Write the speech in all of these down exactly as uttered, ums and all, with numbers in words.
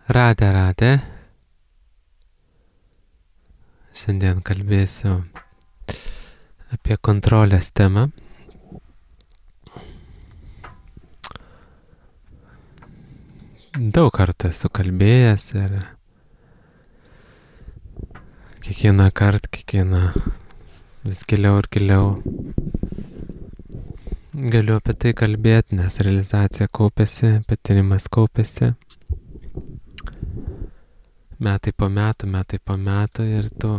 Radė, radė. Šiandien kalbėsiu apie kontrolės temą. Daug kartų esu kalbėjęs ir kiekvieną kartą, kiekvieną vis giliau ir giliau galiu apie tai kalbėti, nes realizacija kaupėsi, patyrimas kaupėsi. Metai po metų, metai po metų ir tu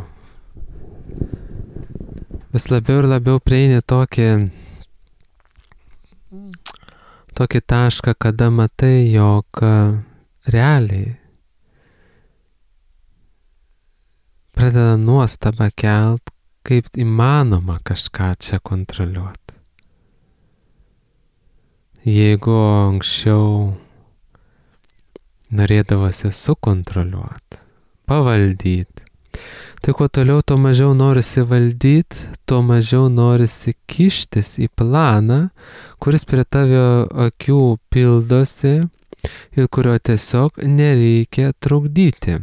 vis labiau ir labiau prieini tokį, tokį tašką, kada matai, jog realiai pradeda nuostabą kelt, kaip įmanoma kažką čia kontroliuoti. Jeigu anksčiau norėdavosi sukontroliuoti, pavaldyti, tai kuo toliau, tuo mažiau norisi valdyti, tuo mažiau norisi kištis į planą, kuris prie tavio akių pildosi ir kurio tiesiog nereikia trukdyti.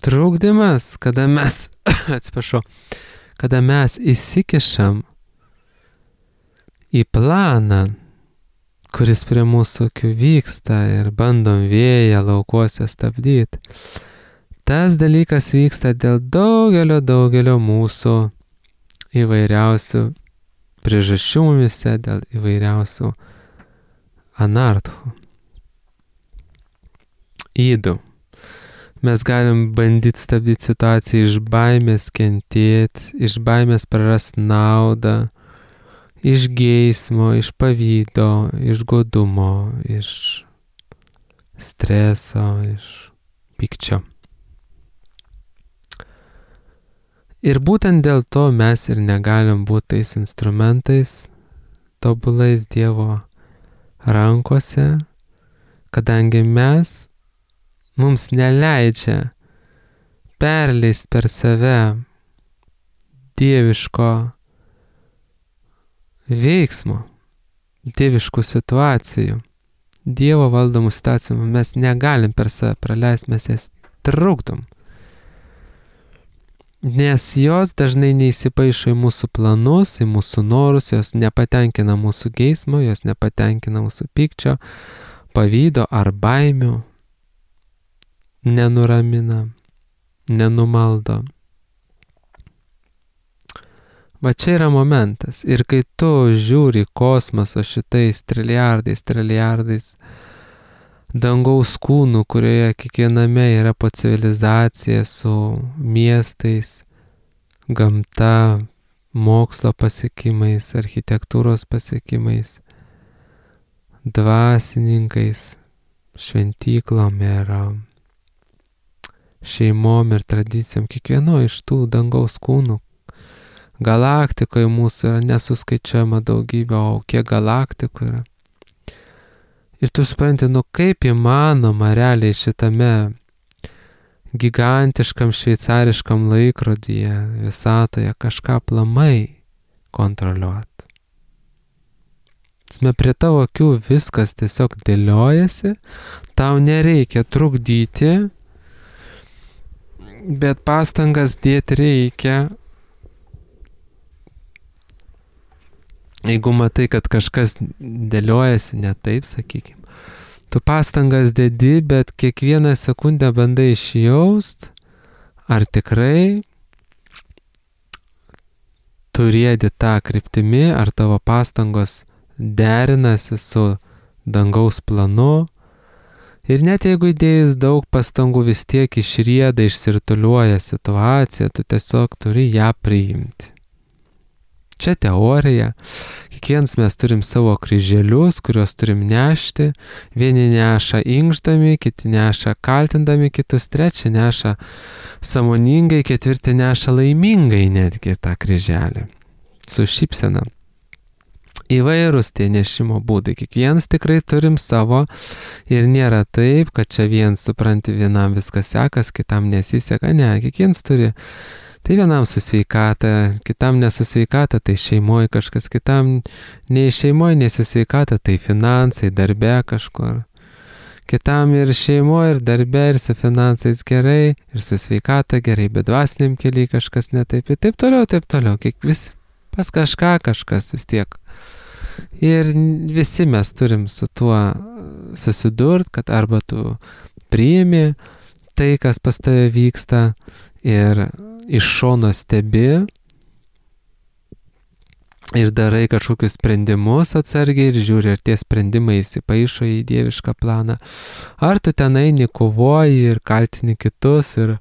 Trukdymas, kada mes, atsiprašau, kada mes įsikišam į planą, kuris prie mūsų akių vyksta ir bandom vėją laukuose stabdyti. Tas dalykas vyksta dėl daugelio, daugelio mūsų įvairiausių priežasčių mumise, dėl įvairiausių anarchų. Ydų. Mes galim bandyti stabdyti situaciją iš baimės kentėti, iš baimės prarasti naudą, iš geismo, iš pavydo, iš godumo, iš streso, iš pykčio. Ir būtent dėl to mes ir negalim būti tais instrumentais, tobulais Dievo rankose, kadangi mes, mums neleidžia perleist per save dieviško veiksmo, dieviškų situacijų, Dievo valdomų situacijų mes negalim per save praleisti, mes jas trukdom. Nes jos dažnai neįsipaišo į mūsų planus, į mūsų norus, jos nepatenkina mūsų geismo, jos nepatenkina mūsų pykčio, pavydo ar baimių, nenuramina, nenumaldo. Va čia yra momentas. Ir kai tu žiūri kosmoso šitais trilijardais, trilijardais dangaus kūnų, kurioje kiekviename yra po civilizacija su miestais, gamta, mokslo pasiekimais, architektūros pasiekimais, dvasininkais, šventyklom ir šeimom ir tradicijom, kiekvieno iš tų dangaus kūnų, galaktikoje mūsų yra nesuskaičiuojama daugybė, o kiek galaktikų yra. Ir tu supranti, nu kaip įmanoma realiai šitame gigantiškam šveicariškam laikrodyje, visatoje kažką aplamai kontroliuoti. Sme prie tavo akių viskas tiesiog dėliojasi, tau nereikia trukdyti, bet pastangas dėti reikia. Jeigu matai, kad kažkas dėliojasi ne taip, sakykime, tu pastangas dedi, bet kiekvieną sekundę bandai išjaust, ar tikrai tu riedi tą kryptimi, ar tavo pastangos derinasi su dangaus planu. Ir net jeigu įdėjus daug pastangų vis tiek išrieda, išsirtuliuoja situacija, tu tiesiog turi ją priimti. Čia teorija. Kiekvienas mes turim savo kryželius, kuriuos turim nešti. Vieni neša inkšdami, kiti neša kaltindami kitus, trečia neša sąmoningai, ketvirti neša laimingai netgi tą kryželį. Su šypsena. Įvairūs tie nešimo būdai. Kiekvienas tikrai turim savo ir nėra taip, kad čia vien supranti, vienam viskas sekas, kitam nesiseka. Ne, kiekvienas turi Tai vienam su sveikata, kitam nesu sveikata, tai šeimoje kažkas, kitam nei šeimoje, nei su sveikata, tai finansai, darbe kažkur. Kitam ir šeimoje, ir darbe, ir su finansais gerai, ir su sveikata gerai, bet dvasiniam keliai kažkas netaip, ir taip toliau, taip toliau, kiek vis pas kažką kažkas vis tiek. Ir visi mes turim su tuo susidurt, kad arba tu priimi tai, kas pas tave vyksta, ir iš šono stebi ir darai kažkokius sprendimus atsargiai ir žiūri, ar tie sprendimai įsipaišo į dievišką planą. Ar tu ten eini, kovoji ir kaltini kitus ir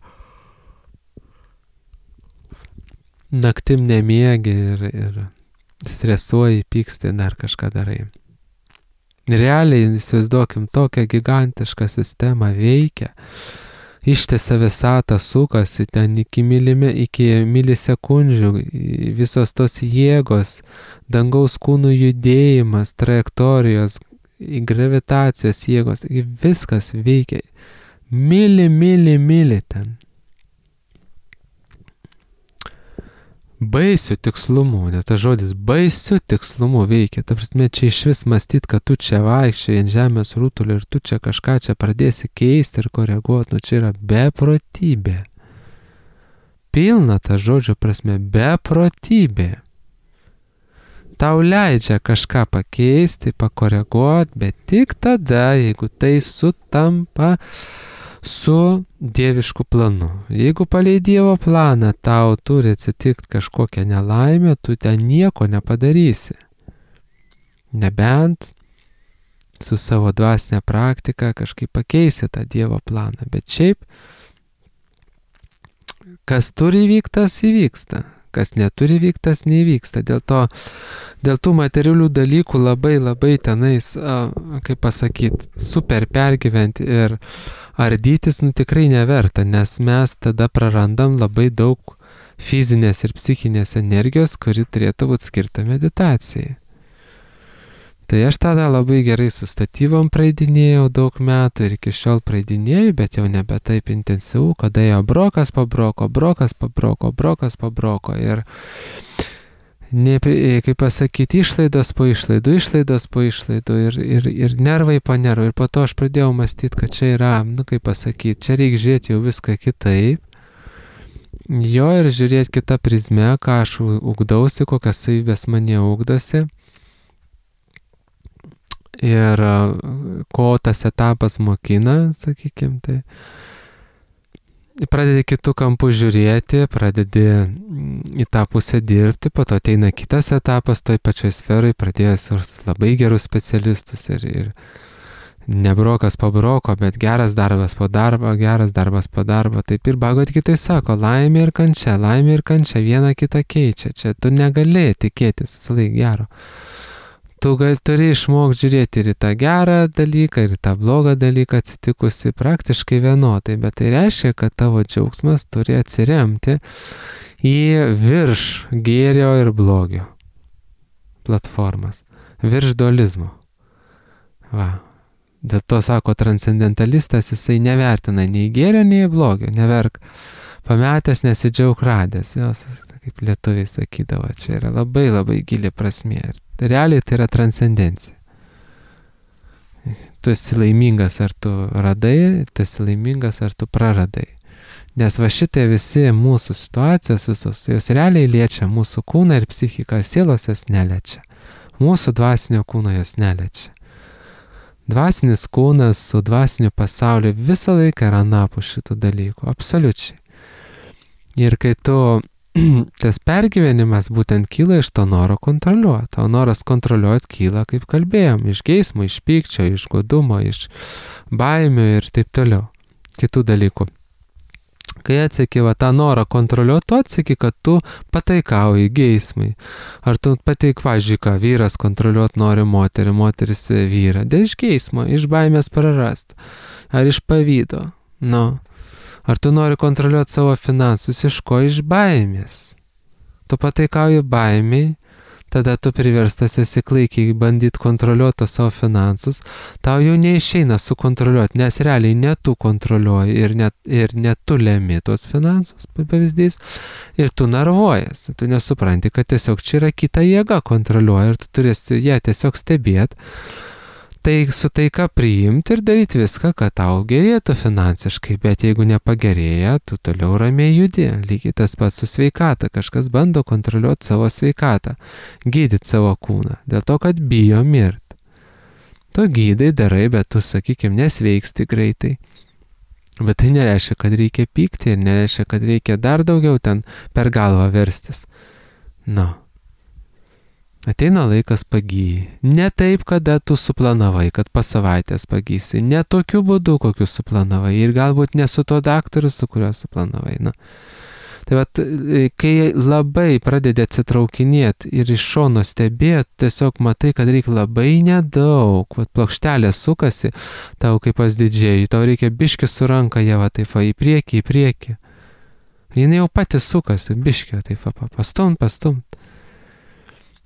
naktim nemiegi ir, ir stresuoji, pyksti, dar kažką darai. Realiai, įsivaizduokim, tokią gigantišką sistemą veikia. Ištisa visata sukasi ten iki, milime, iki milisekundžių, visos tos jėgos, dangaus kūnų judėjimas, trajektorijos, gravitacijos jėgos, viskas veikia. Mili, mili, mili ten. Baisiu tikslumu, net tas žodis baisiu tikslumu veikia. Ta prasme, čia iš vis mąstyt, kad tu čia vaikščiai ant žemės rutulio ir tu čia kažką čia pradėsi keisti ir koreguoti, nu čia yra beprotybė. Pilna ta žodžio prasme, beprotybė. Tau leidžia kažką pakeisti, pakoreguoti, bet tik tada, jeigu tai sutampa su dievišku planu. Jeigu palei Dievo planą tau turi atsitikti kažkokią nelaimę, tu ten nieko nepadarysi. Nebent su savo dvasinė praktika kažkaip pakeisi tą Dievo planą. Bet šiaip, kas turi įvykti, tas įvyksta. Kas neturi vykti, tas neįvyksta. Dėl to, dėl tų materialių dalykų labai labai tenais, kaip pasakyti, super pergyventi ir ardytis, nu tikrai neverta, nes mes tada prarandam labai daug fizinės ir psichinės energijos, kuri turėtų būti skirta meditacijai. Tai aš tada labai gerai su statybom praeidinėjau daug metų ir iki šiol praeidinėjau, bet jau nebe taip intensyvų, kada jau brokas pabroko, brokas pabroko, brokas pabroko ir, ne, kaip pasakyti, išlaidos po išlaidų, išlaidos po išlaidų ir, ir, ir nervai po nervų. Ir po to aš pradėjau mąstyti, kad čia yra, nu kaip pasakyti, čia reikia žiūrėti jau viską kitaip. Jo ir žiūrėti kitą prizmę, ką aš ugdausi, kokias savybės mane ugdosi. Ir ko tas etapas mokina, sakykime, tai pradedi kitų kampų žiūrėti, pradedi į tą pusę dirbti, po to ateina kitas etapas, toj pačioj sferai pradėjęs labai gerus specialistus ir, ir ne brokas po broko, bet geras darbas po darbo, geras darbas po darbo. Taip ir Bhagavad Gita sako, laimė ir kančia, laimė ir kančia viena kitą keičia. Čia tu negali tikėtis visą laiką gero. Tu gal, turi išmokti žiūrėti ir į tą gerą dalyką, ir į tą blogą dalyką atsitikusi praktiškai vienodai, bet tai reiškia, kad tavo džiaugsmas turi atsiremti į virš gėrio ir blogio platformas, virš dualizmo. Va. Dėl to sako transcendentalistas, jisai nevertina nei gėrio, nei blogio, neverk pametęs, nesidžiaug radęs. Jos, kaip lietuviai sakydavo, čia yra labai labai gili prasmė. Realiai tai yra transcendencija. Tu esi laimingas, ar tu radai, tu esi laimingas, ar tu praradai. Nes va šitie visi mūsų situacijos visos, jos realiai liečia mūsų kūną ir psichiką, sielos jos neliečia. Mūsų dvasinio kūno jos neliečia. Dvasinis kūnas su dvasiniu pasauliu visą laiką yra anapus šitų dalykų, absoliučiai. Ir kai tu tas pergyvenimas būtent kyla iš to noro kontroliuoti. O noras kontroliuoti kyla, kaip kalbėjom, iš geismo, iš pykčio, iš godumo, iš baimių ir taip toliau. Kitų dalykų. Kai atseki va tą norą kontroliuoti, tu atseki, kad tu pataikauji geismai. Ar tu pateik, važiuoji, ką vyras kontroliuoti nori moterį, moteris vyrą. Dėl iš geismo, iš baimės prarast. Ar iš pavydo. Nu. Ar tu nori kontroliuoti savo finansus, iš ko? Iš baimės. Tu pataikauji baimiai, tada tu priverstas esi klaikiai bandyti kontroliuoti savo finansus, tau jau neišeina sukontroliuoti, nes realiai ne tu kontroliuoji ir ne, ir ne tu lemi tuos finansus, pavyzdys, ir tu narvuojas, tu nesupranti, kad tiesiog čia yra kita jėga kontroliuoja ir tu turėsi ją tiesiog stebėti. Tai su taika priimti ir daryti viską, kad tau gerėtų finansiškai, bet jeigu nepagerėja, tu toliau ramiai judi. Lygiai tas pats su sveikata, kažkas bando kontroliuoti savo sveikatą, gydyti savo kūną, dėl to, kad bijo mirti. Tu gydai, darai, bet tu, sakykime, nesveiksti greitai. Bet tai nereiškia, kad reikia pykti ir nereiškia, kad reikia dar daugiau ten per galvą verstis. Na. Ateina laikas pagyji. Ne taip, kada tu suplanavai, kad po savaitės pagysi. Ne tokiu būdu, kokiu suplanavai. Ir galbūt ne su tuo daktaru, su kuriuo suplanavai. Na. Tai vat, kai labai pradedi atsitraukinėti ir iš šono stebėti, tiesiog matai, kad reikia labai nedaug. Vat plokštelė sukasi, tau kaip pas didžėjai, tau reikia biški su ranka, jie va taip va į priekį, į priekį. Jis jau pati sukasi, biški, taip va pastumt, pastumt.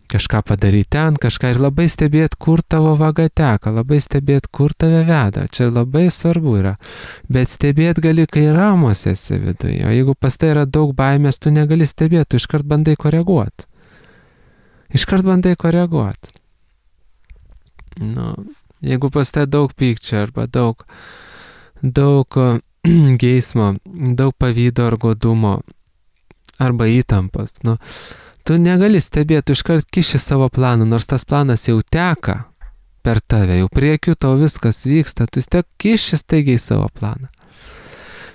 Kažką padaryti ten, kažką ir labai stebėti, kur tavo vaga teka, labai stebėti, kur tave veda. Čia labai svarbu yra. Bet stebėti gali, kai ramus esi viduje. O jeigu pas tai yra daug baimės, tu negali stebėti, tu iškart bandai koreguoti. Iškart bandai koreguoti. Nu, jeigu pas tai daug pykčio arba daug, daug geismo, daug pavydo ar godumo arba įtampos, nu, tu negali stebėti, tu iškart kiši savo planą, nors tas planas jau teka per tave, jau priekiu tau viskas vyksta, tu vis tiek kiši staigiai savo planą.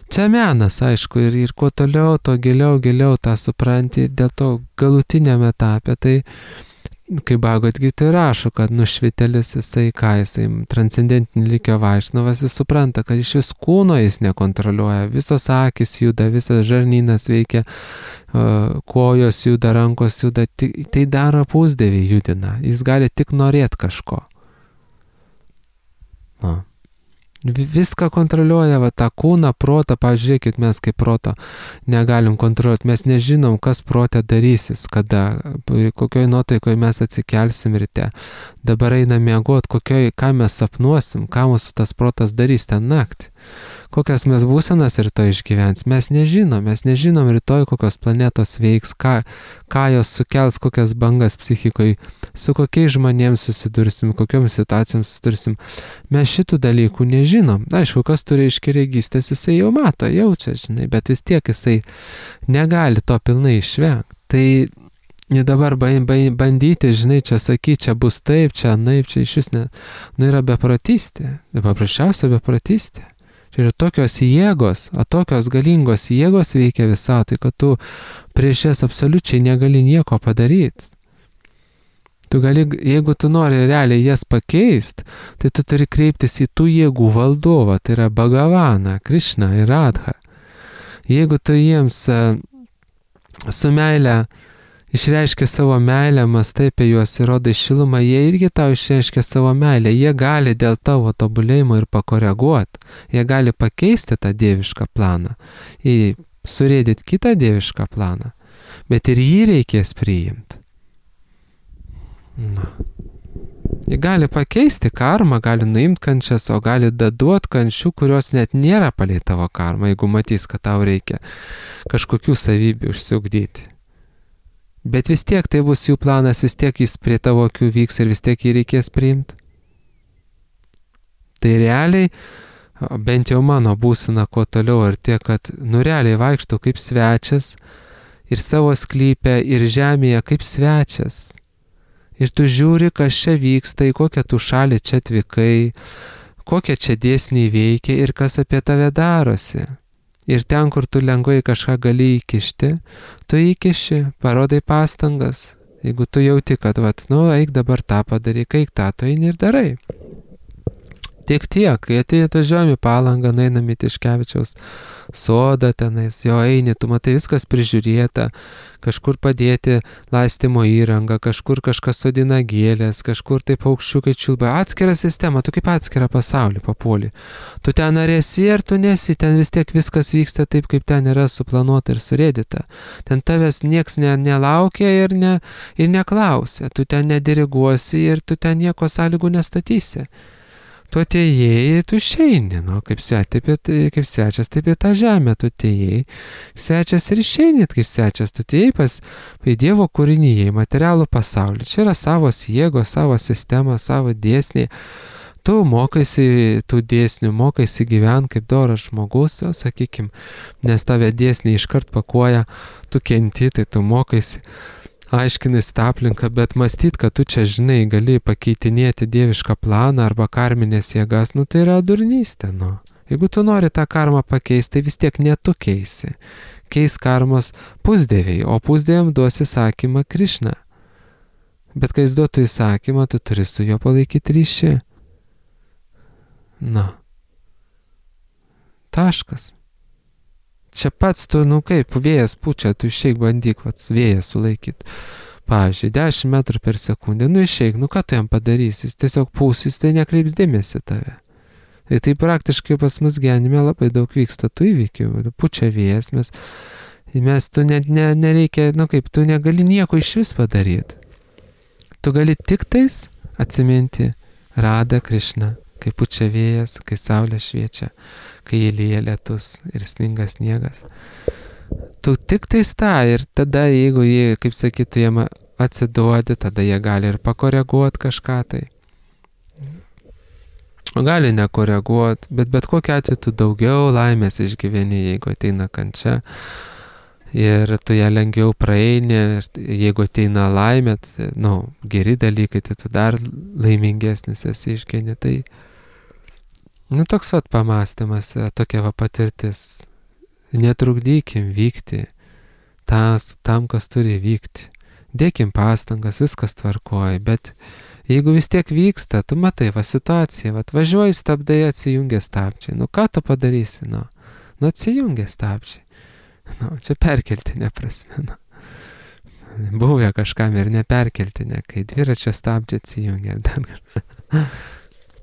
Čia menas, aišku, ir, ir kuo toliau, to giliau, giliau tą supranti, dėl to galutiniame etape, tai kaip Bhagavad Gita rašo, kad nušvitelis jisai, ką jisai, transcendentinį likio vaišnavas, jis supranta, kad iš vis kūno jis nekontroliuoja, visos akis juda, visas žarnynas veikia, kojos juda, rankos juda, tai daro pusdėvį judina, jis gali tik norėti kažko. Na. Viską kontroliuoja, va, tą kūną, protą, pažiūrėkit, mes kaip proto negalim kontroliuoti, mes nežinom, kas protė darysis, kada, kokioj nuotaikoje mes atsikelsim ryte, dabar einam miegot, kokioj, ką mes sapnuosim, ką mūsų tas protas darys ten naktį. Kokias mes būsenas rytoj išgyvens, mes nežinom, mes nežinom rytoj, kokios planetos veiks, ką, ką jos sukels, kokias bangas psichikoje, su kokiais žmonėms susidursim, kokiom situacijom susidursim. Mes šitų dalykų nežinom. Aišku, kas turi iškiregystės, jisai jau mato, jaučia, žinai, bet vis tiek jisai negali to pilnai išvengti. Tai dabar bandyti, žinai, čia sakyti, čia bus taip, čia naip, čia iš vis ne, nu yra beprotystė, paprasčiausia beprotystė. Čia yra tokios jėgos, o tokios galingos jėgos veikia visatai, kad tu prieš jas absoliučiai negali nieko padaryti. Tu gali, jeigu tu nori realiai jas pakeisti, tai tu turi kreiptis į tų jėgų valdovą, tai yra Bhagavaną, Krišną ir Radhą. Jeigu tu jiems su meile išreiškia savo meilę, mastai apie juos ir rodai šilumą, jie irgi tau išreiškia savo meilę, jie gali dėl tavo tobulėjimo ir pakoreguoti, jie gali pakeisti tą dievišką planą, į surėdyti kitą dievišką planą, bet ir jį reikės priimti. Na. Jie gali pakeisti karmą, gali nuimti kančias, o gali daduoti kančių, kurios net nėra palei tavo karmą, jeigu matys, kad tau reikia kažkokių savybių užsiugdyti. Bet vis tiek tai bus jų planas, vis tiek jis prie tavo akių vyks ir vis tiek jį reikės priimti. Tai realiai, bent jau mano būsena kuo toliau ir tiek, kad nu realiai vaikštau kaip svečias ir savo sklype ir žemėje kaip svečias. Ir tu žiūri, kas čia vyksta, į kokią tu šalį čia atvykai, kokie čia dėsniai veikia ir kas apie tave darosi. Ir ten, kur tu lengvai kažką gali įkišti, tu įkiši, parodai pastangas. Jeigu tu jauti, kad, vat, nu, eik dabar tą padaryk, eik tą, tu eini ir darai. Tik tiek, kai atvažiuojam į Palangą, nueinam į Tiškevičiaus sodą tenais, jo eini, tu matai viskas prižiūrėta, kažkur padėti laistymo įrangą, kažkur kažkas sodina gėlės, kažkur tai paukščiukai čiulba, atskira sistema, tu kaip atskira pasaulį papuoli. Tu ten ar esi, ar tu nesi, ten vis tiek viskas vyksta taip, kaip ten yra suplanuota ir surėdyta. Ten tavęs nieks ne, nelaukia ir, ne, ir neklausia, tu ten nediriguosi ir tu ten nieko sąlygų nestatysi. Tu atėjai, tu išeini, nu, kaip, se, taip, kaip svečias, taip į tą žemę tu atėjai, svečias ir išeini, kaip svečias, tu atėjai pas į Dievo kūrinyje, į materialų pasaulį. Čia yra savos jėgos, savo sistema, savo dėsniai. Tu mokaisi tų dėsnių, mokaisi gyventi kaip doras žmogus, jau, sakykim, nes tave dėsniai iškart pakuoja, tu kenti, tai tu mokaisi. Aiškinis tą aplinką, bet mąstyt, kad tu čia, žinai, gali pakeitinėti dievišką planą arba karminės jėgas, nu tai yra durnystė, nu. Jeigu tu nori tą karmą pakeisti, tai vis tiek ne tu keisi. Keis karmos pusdieviai, o pusdieviam duos įsakymą Krišna. Bet kai jis duotų įsakymą, tu turi su juo palaikyti ryšį. Na. Taškas. Čia pats tu, nu kaip, vėjas pučia, tu išeik bandyk, vats, vėjas sulaikyti. Pavyzdžiui, dešimt metrų per sekundę, nu išeik, nu ką tu jam padarysi, jis tiesiog pūsis, tai nekreips dėmesį tave. Ir tai praktiškai pas mus gyvenime labai daug vyksta tų įvykių, pučia vėjas, mes, mes tu net ne, nereikia, nu kaip, tu negali nieko iš vis padaryti. Tu gali tik tais atsiminti Radą Krišną, kai pučia vėjas, kai saulė šviečia, kai įlyja lietus ir sninga sniegas. Tu tik tais tą ir tada, jeigu jie, kaip sakytų, jiem atsiduodi, tada jie gali ir pakoreguoti kažką tai. O gali nekoreguoti, bet bet kokiu atveju tu daugiau laimės išgyveni, jeigu ateina kančia. Ir tu ją lengviau praeini, jeigu ateina laimė, tai, nu, geri dalykai, tai tu dar laimingesnis esi išgyveni. Tai, nu, toks vat pamastymas, tokia va patirtis. Netrukdykim vykti tas, tam, kas turi vykti. Dėkim pastangas, viskas tvarkoja, bet jeigu vis tiek vyksta, tu matai, va situacija, va važiuoji, stabdai, atsijungia stabčiai. Nu, ką tu padarysi, nu? Nu, atsijungia stabčiai. Nu, čia perkeltinė prasme, nu. Buvę kažkam ir neperkeltinė, kai dviračio stabdžiai atsijungia ir dar kažką.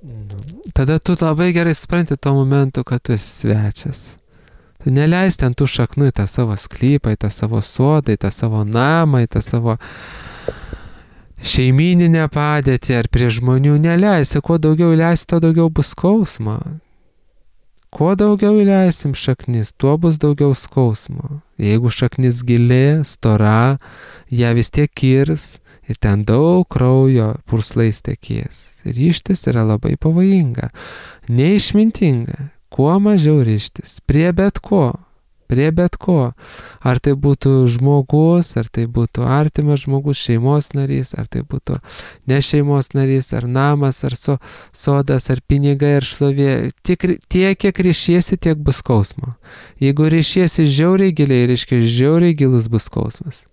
Nu, tada tu labai gerai supranti tuo momentu, kad tu esi svečias. Tu neleis ten tų šaknų į tą savo sklypą, į tą savo sodą, į tą savo namą, į tą savo šeimyninę padėtį ar prie žmonių. Neleisi, kuo daugiau leisi, to daugiau bus skausmo. Kuo daugiau įleisim šaknis, tuo bus daugiau skausmo. Jeigu šaknis gili, stora, ją vis tiek kirs ir ten daug kraujo purslais tekės. Ryžtis yra labai pavojinga, neišmintinga. Kuo mažiau ryžtis, prie bet ko, prie bet ko. Ar tai būtų žmogus, ar tai būtų artimas žmogus, šeimos narys, ar tai būtų ne šeimos narys, ar namas, ar so, sodas, ar pinigai, ar šlovė. Tiek, tiek, kiek ryšiesi, tiek bus skausmo. Jeigu ryšiesi žiauriai giliai, reiškia žiauriai gilus bus skausmas.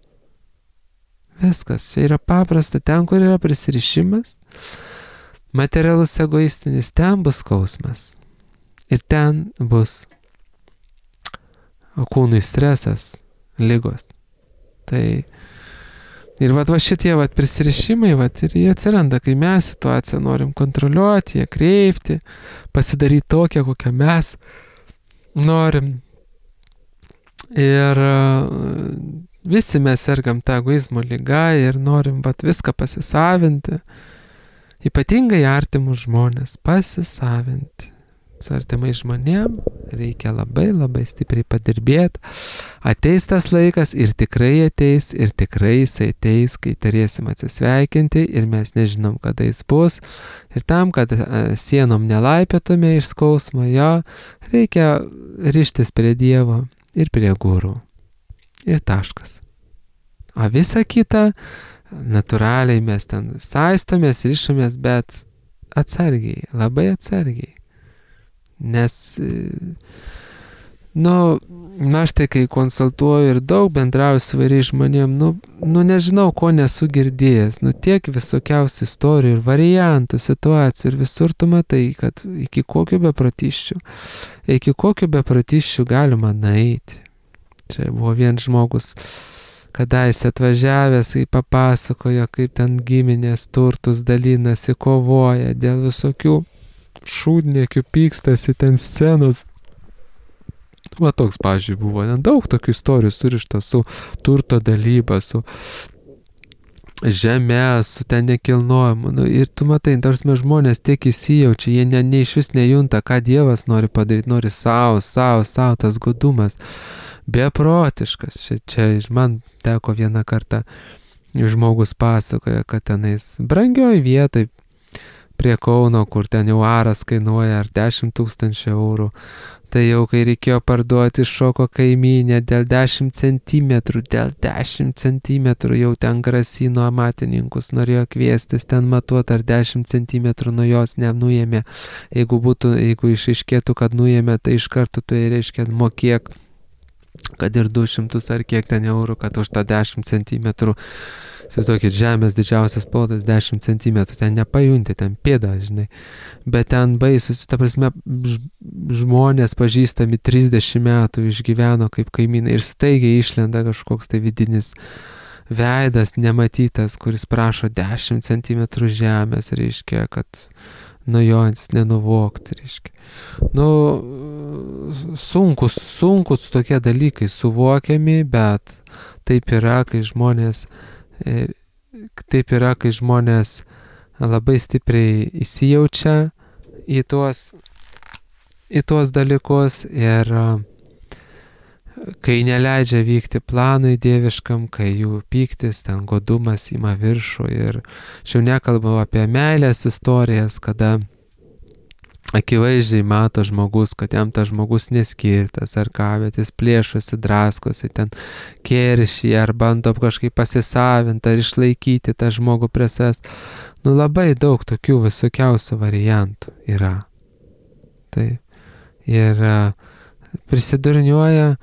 Viskas, čia yra paprasta, ten, kur yra prisirišimas, materialus egoistinis, ten bus skausmas. Ir ten bus kūnui stresas, ligos. Tai ir vat va šitie vat prisirišimai, vat ir jie atsiranda, kai mes situaciją norim kontroliuoti, ją kreipti, pasidaryti tokią, kokią mes norim. Ir visi mes sergam tą egoizmo ligą ir norim vat viską pasisavinti. Ypatingai artimus žmonės pasisavinti. Su artimai žmonėm reikia labai labai stipriai padirbėti. Ateis tas laikas ir tikrai ateis, ir tikrai jisai ateis, kai turėsim atsisveikinti ir mes nežinom, kada jis bus. Ir tam, kad sienom nelaipėtume iš skausmo, jo, reikia rištis prie Dievo ir prie gurų. Ir taškas. O visa kita, natūraliai mes ten saistomės, rišomės, bet atsargiai, labai atsargiai. Nes nu, aš tai kai konsultuoju ir daug bendrauju su vairiais žmonėm, nu, nu nežinau, ko nesu girdėjęs, nu tiek visokiausių istorijų ir variantų, situacijų ir visur tu matai, kad iki kokių bepratiščių, iki kokių bepratiščių galima nueiti. Čia buvo vienas žmogus, kadaise atvažiavęs, kai papasakojo, kaip ten giminės turtus dalinasi, kovoja dėl visokių šūdniekių, pykstasi ten scenos. Va toks, pavyzdžiui, buvo. Daug tokių istorijų surišta su turto dalyba, su žeme, su ten nekilnojimu. Nu, ir tu matai, tarsi žmonės tiek įsijaučia, jie ne, ne iš vis nejunta, ką Dievas nori padaryti, nori savo, savo, savo, tas godumas. Beprotiškas. Čia, čia man teko vieną kartą, žmogus pasakoja, kad tenais brangioj vietoj prie Kauno, kur ten jau aras kainuoja ar dešimt tūkstančių eurų. Tai jau kai reikėjo parduoti, šoko kaimynė dėl dešimt centimetrų, dėl dešimt centimetrų jau ten grasino amatininkus, norėjo kviestis ten matuoti, ar dešimt centimetrų nuo jos nenuėmė. Jeigu būtų, jeigu išaiškėtų, kad nuėmė, tai iš karto tai reiškia mokėk, kad ir du šimtus ar kiek ten eurų, kad už tą dešimt centimetrų. Įsivaizduokit, žemės didžiausias plotas dešimt centimetrų, ten nepajunti, ten pėda, žinai. Bet ten baisus, ta prasme, žmonės pažįstami trisdešimt metų išgyveno kaip kaimynai ir staigiai išlenda kažkoks tai vidinis veidas nematytas, kuris prašo dešimt centimetrų žemės, reiškia, kad nuo jo nenuvokti, reiškia. Nu, sunkus, sunkus tokie dalykai suvokiami, bet taip yra, kai žmonės Taip yra, kai žmonės labai stipriai įsijaučia į tuos, į tuos dalykus ir kai neleidžia vykti planui dieviškam, kai jų pyktis, ten godumas ima viršų ir aš jau nekalbau apie meilės istorijas, kada akivaizdžiai mato žmogus, kad jam tas žmogus neskirtas ar ką, bet jis plėšosi, draskosi, ten keršį ar bando kažkaip pasisavinti ar išlaikyti tą žmogų prie savęs. Nu labai daug tokių visokiausių variantų yra. Taip. Ir prisidurniuoja,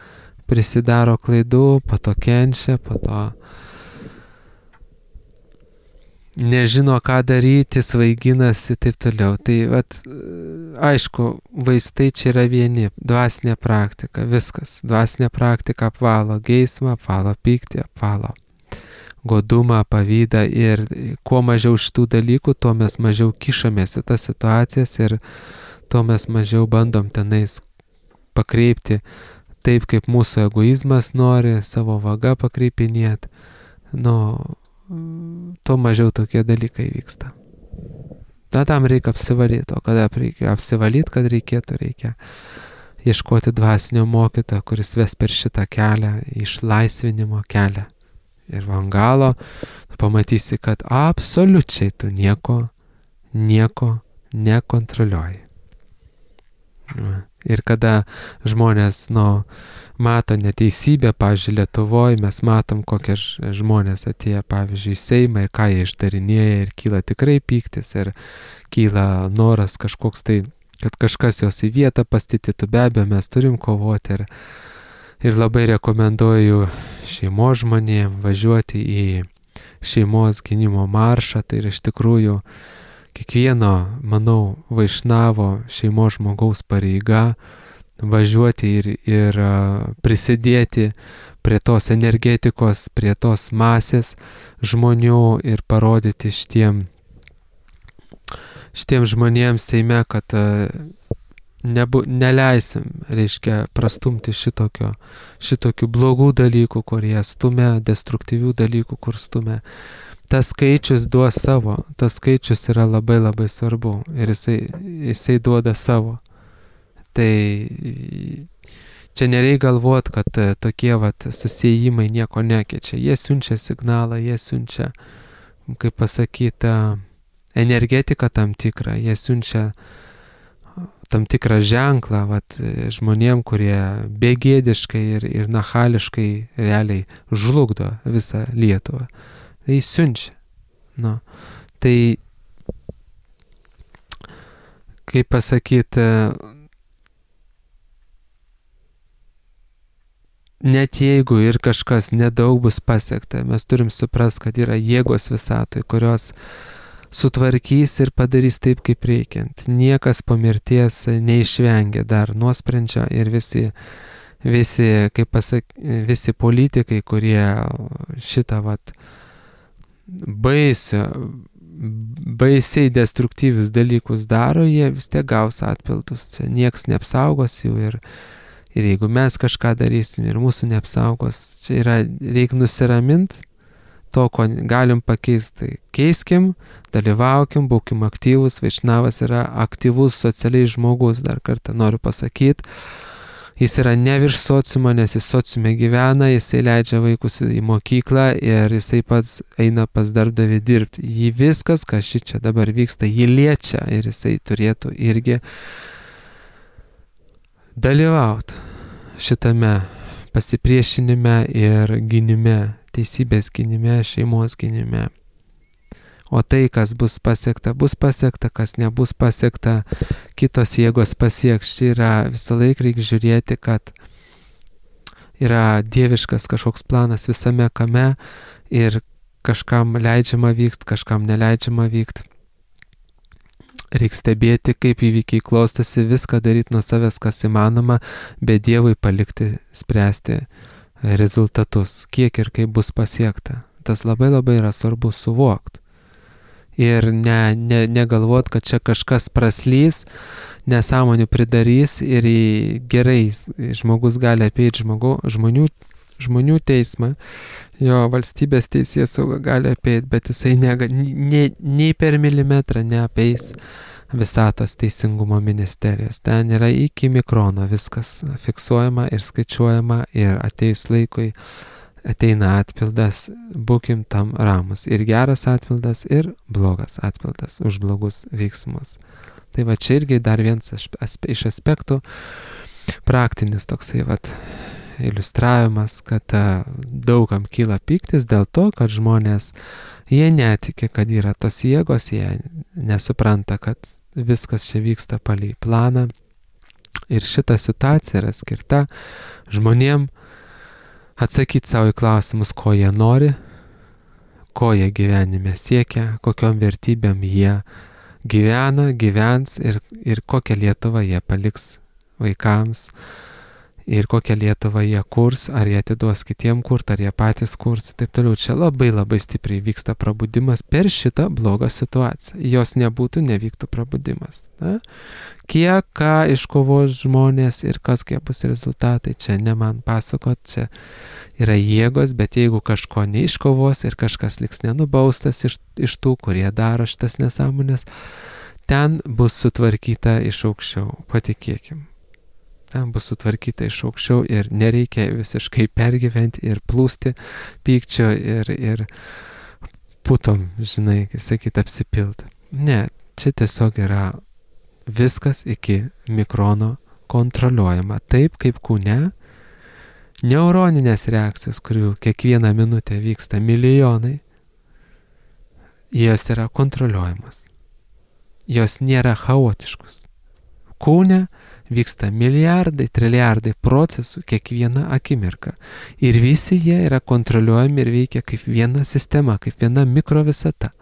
prisidaro klaidų, po to kenčia, po to nežino, ką daryti, svaiginasi, taip toliau. Tai, vat, aišku, vaistai čia yra vieni, dvasinė praktika, viskas. Dvasinė praktika apvalo geismą, apvalo pyktį, apvalo godumą, pavydą ir kuo mažiau šitų dalykų, tuo mes mažiau kišamės į tas situacijas ir tuo mes mažiau bandom tenais pakreipti taip, kaip mūsų egoizmas nori, savo vaga pakreipinėti. Nu, tuo mažiau tokie dalykai vyksta. Na, tam reikia apsivalyti, o kada reikia apsivalyti, kad reikėtų, reikia ieškoti dvasinio mokytojo, kuris ves per šitą kelią, išlaisvinimo kelią. Ir van galo tu pamatysi, kad absoliučiai tu nieko, nieko nekontroliuoji. Ir kada žmonės, nu, mato neteisybę, pavyzdžiui, Lietuvoje, mes matom, kokie žmonės atėjo, pavyzdžiui, į Seimą ir ką jie išdarinėja ir kyla tikrai pyktis ir kyla noras kažkoks tai, kad kažkas jos į vietą pastatytų, be abejo, mes turim kovoti ir, ir labai rekomenduoju šeimos žmonėm važiuoti į šeimos gynimo maršą, tai ir iš tikrųjų kiekvieno, manau, vaišnavo šeimos žmogaus pareiga važiuoti ir, ir prisidėti prie tos energetikos, prie tos masės žmonių ir parodyti šitiem, šitiem žmonėms Seime, kad nebu, neleisim, reiškia, prastumti šitokio, šitokių blogų dalykų, kurie stumia, destruktyvių dalykų, kur stumia. Tas skaičius duos savo, tas skaičius yra labai labai svarbu ir jisai, jisai duoda savo. Tai čia nereikia galvoti, kad tokie vat susijimai nieko nekeičia. Jie siunčia signalą, jie siunčia, kaip pasakyti, energetiką tam tikrą, jie siunčia tam tikrą ženklą vat, žmonėm, kurie begėdiškai ir, ir nachališkai realiai žlugdo visą Lietuvą. Tai siunčia. Nu, tai, kaip pasakyti, net jeigu ir kažkas nedaug bus pasiekta, mes turim suprasti, kad yra jėgos visatoje, kurios sutvarkys ir padarys taip, kaip reikiant. Niekas po mirties neišvengia dar nuosprendžio ir visi, visi, kaip pasak, visi politikai, kurie šitą vat baisio, baisiai destruktyvius dalykus daro, jie vis tiek gaus atpildus. Čia nieks neapsaugos jų ir, ir jeigu mes kažką darysim ir mūsų neapsaugos, čia yra, reikia nusiraminti, to, ko galim pakeisti, keiskim, dalyvaukim, būkim aktyvus. Vaišnavas yra aktyvus socialiai žmogus, dar kartą noriu pasakyti. Jis yra ne virš sociumo, nes jis sociume gyvena, jisai leidžia vaikus į mokyklą ir jisai pats eina pas darbdavį dirbti. Jį viskas, kas šičia dabar vyksta, jį liečia ir jisai turėtų irgi dalyvauti šitame pasipriešinime ir gynime, teisybės gynime, šeimos gynime. O tai, kas bus pasiekta, bus pasiekta, kas nebus pasiekta, kitos jėgos pasieks. Čia yra visą laiką reikia žiūrėti, kad yra dieviškas kažkoks planas visame kame ir kažkam leidžiama vykti, kažkam neleidžiama vykti. Reikia stebėti, kaip įvykiai klostosi, viską daryti nuo savęs, kas įmanoma, bet Dievui palikti spręsti rezultatus, kiek ir kaip bus pasiekta. Tas labai labai yra svarbu suvokti. Ir ne, ne, negalvot, kad čia kažkas praslys, nesąmonių pridarys ir gerai žmogus gali apeiti žmogu, žmonių, žmonių teismą, jo valstybės teisėsauga gali apeiti, bet jisai ne, ne, nei per milimetrą neapeis visatos teisingumo ministerijos. Ten yra iki mikrono viskas fiksuojama ir skaičiuojama ir ateis laikui ateina atpildas, būkim tam ramus. Ir geras atpildas, ir blogas atpildas už blogus veiksmus. Tai va čia irgi dar vienas iš aspektų, praktinis toksai vat iliustravimas, kad daugam kyla pyktis dėl to, kad žmonės, jie netiki, kad yra tos jėgos, jie nesupranta, kad viskas čia vyksta palei planą. Ir šita situacija yra skirta žmonėm atsakyti savo į klausimus, ko jie nori, ko jie gyvenime siekia, kokiom vertybėm jie gyvena, gyvens ir, ir kokią Lietuvą jie paliks vaikams ir kokią Lietuvą jie kurs, ar jie atiduos kitiem kurt, ar jie patys kurs, taip toliau. Čia labai labai stipriai vyksta prabudimas per šitą blogą situaciją. Jos nebūtų, nevyktų prabudimas. Na? Kiek ką iškovos žmonės ir kas kiek bus rezultatai, čia ne man pasakot, čia yra jėgos, bet jeigu kažko neiškovos ir kažkas liks nenubaustas iš, iš tų, kurie daro šitas nesąmonės, ten bus sutvarkyta iš aukščiau, patikėkim. Ten bus sutvarkyta iš aukščiau ir nereikia visiškai pergyventi ir plūsti pykčio ir, ir putom, žinai, kaip sakyt, apsipilti. Ne, čia tiesiog yra viskas iki mikrono kontroliuojama. Taip kaip kūne, neuroninės reakcijos, kurių kiekvieną minutę vyksta milijonai, jos yra kontroliuojamas. Jos nėra chaotiškus. Kūne vyksta milijardai, triliardai procesų kiekvieną akimirką. Ir visi jie yra kontroliuojami ir veikia kaip viena sistema, kaip viena mikrovisata.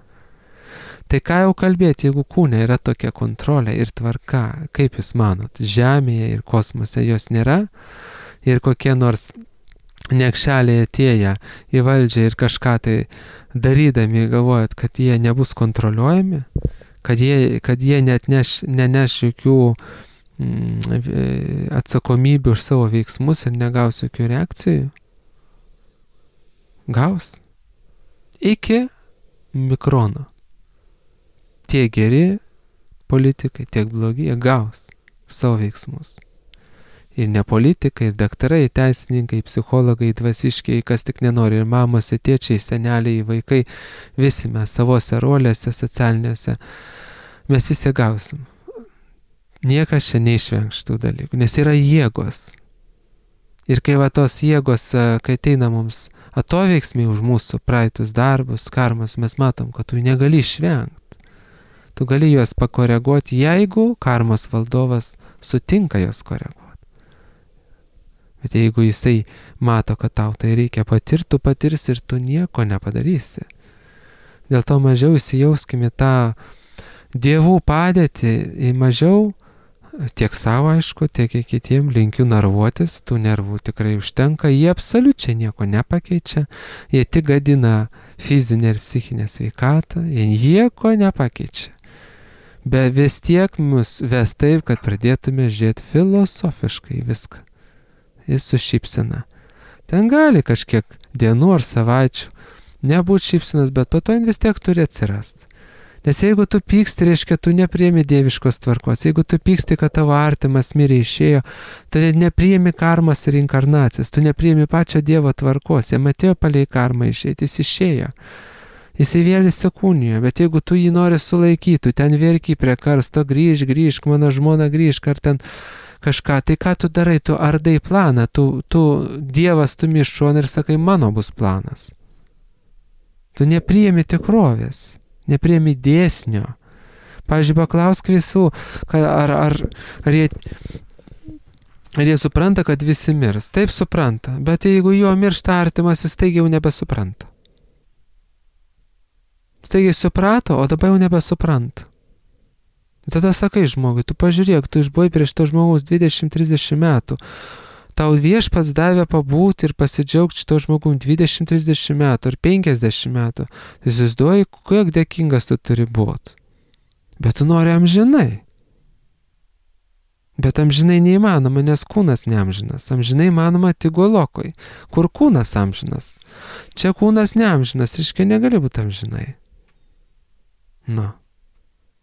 Tai ką jau kalbėti, jeigu kūne yra tokia kontrolė ir tvarka, kaip jūs manot, Žemėje ir kosmose jos nėra ir kokie nors niekšeliai atėję į valdžią ir kažką tai darydami galvojat, kad jie nebus kontroliuojami, kad jie, kad jie net neš, neneš jokių atsakomybė už savo veiksmus ir negaus jokių reakcijų? Gaus. Iki mikrono. Tiek geri politikai, tiek blogi, jie gaus savo veiksmus. Ir ne politikai, ir daktarai, teisininkai, psichologai, dvasiškiai, kas tik nenori, ir mamos, ir tėčiai, seneliai, vaikai, visi mes savose rolėse, socialinėse, mes visi gausim. Niekas čia neišvengs šitų dalykų, nes yra jėgos. Ir kai va tos jėgos, kai ateina mums atoveiksmiai už mūsų praeitus darbus, karmas, mes matom, kad tu negali išvengti. Tu gali juos pakoreguoti, jeigu karmos valdovas sutinka juos koreguoti. Bet jeigu jisai mato, kad tau tai reikia patirti, tu patirsi ir tu nieko nepadarysi. Dėl to mažiau įsijauskime tą dievų padėtį, į mažiau, tiek savo aišku, tiek į kitiem linkiu nervuotis, tų nervų tikrai užtenka, jie absoliučiai nieko nepakeičia, jie tik gadina fizinę ir psichinę sveikatą, jie nieko nepakeičia. Bet vis tiek mus ves taip, kad pradėtume žiūrėti filosofiškai viską. Jis su šypsena. Ten gali kažkiek dienų ar savaičių nebūt šypsenas, bet po to vis tiek turi atsirasti. Nes jeigu tu pyksti, reiškia, tu nepriimi dieviškos tvarkos. Jeigu tu pyksti, kad tavo artimas mirė išėjo, tu nepriimi karmos ir inkarnacijos, tu nepriimi pačio Dievo tvarkos. Jam atėjo palei karmą išėti, jis išėjo. Jisai vėl įsikūnijo, bet jeigu tu jį nori sulaikyti, tu ten verki prie karsto, grįžk, grįžk, mano žmona grįžk, ar ten kažką, tai ką tu darai, tu ardai planą, tu, tu Dievas stumi iš šono ir sakai, mano bus planas. Tu nepriimi tikrovės, nepriimi dėsnio. Pavyzdžiui, paklausk visų, ar, ar, ar, jie, ar jie supranta, kad visi mirs. Taip supranta, bet jeigu jo miršta artimas, jis taigi jau nebesupranta. Staigiai suprato, o dabar jau nebesupranta. Tada sakai žmogui, tu pažiūrėk, tu išbuvai prieš to žmogaus dvidešimt trisdešimt metų. Tau viešpats davė pabūti ir pasidžiaugti šito žmogum dvidešimt trisdešimt metų ar penkiasdešimt metų. Tu įsivaizduoji, kiek dėkingas tu turi būti. Bet tu nori amžinai. Bet amžinai neįmanoma, nes kūnas neamžinas. Amžinai įmanoma tik golokoj, kur kūnas amžinas. Čia kūnas neamžinas, reiškia negali būti amžinai. Nu,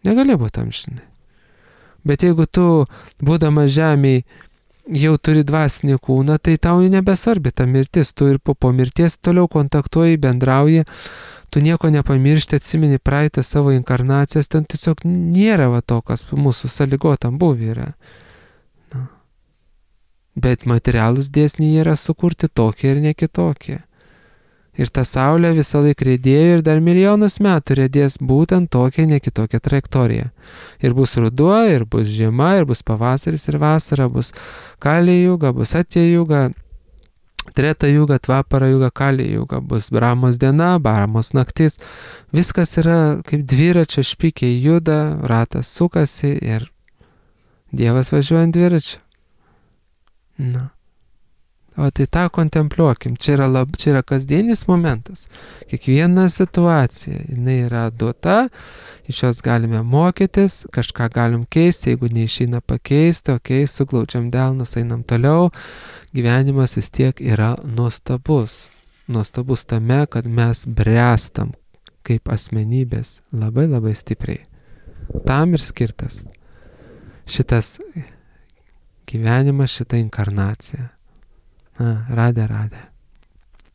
negali būti amžinai. Bet jeigu tu, būdamas žemėj, jau turi dvasinį kūną, tai tau nebesvarbi ta mirtis. Tu ir po, po mirties toliau kontaktuoji, bendrauji, tu nieko nepamiršti, atsimeni praeitą savo inkarnacijas, ten tiesiog nėra va to, kas mūsų sąlygotam buvę yra. Nu. Bet materialūs dėsniai yra sukurti tokie ir ne kitokie. Ir ta saulė visą laiką riedėjo ir dar milijonus metų riedės būtent tokia, ne kitokia trajektorija. Ir bus ruduo, ir bus žiema, ir bus pavasaris, ir vasara, bus Kali juga, bus Satya juga, Treta juga, Tvapara juga, Kali juga, bus Brahmos diena, Brahmos naktis. Viskas yra kaip dviračio špikiai juda, ratas sukasi ir Dievas važiuoja ant dviračio. Na. O tai tą kontempliuokim, čia yra, lab, čia yra kasdienis momentas. Kiekviena situacija, jinai yra duota, iš jos galime mokytis, kažką galim keisti, jeigu neišeina pakeisti, okei, okay, suglaudžiam delnus, einam toliau. Gyvenimas vis tiek yra nuostabus. Nuostabus tame, kad mes bręstam kaip asmenybės labai labai stipriai. Tam ir skirtas šitas gyvenimas, šita inkarnacija. Na, radė, radė.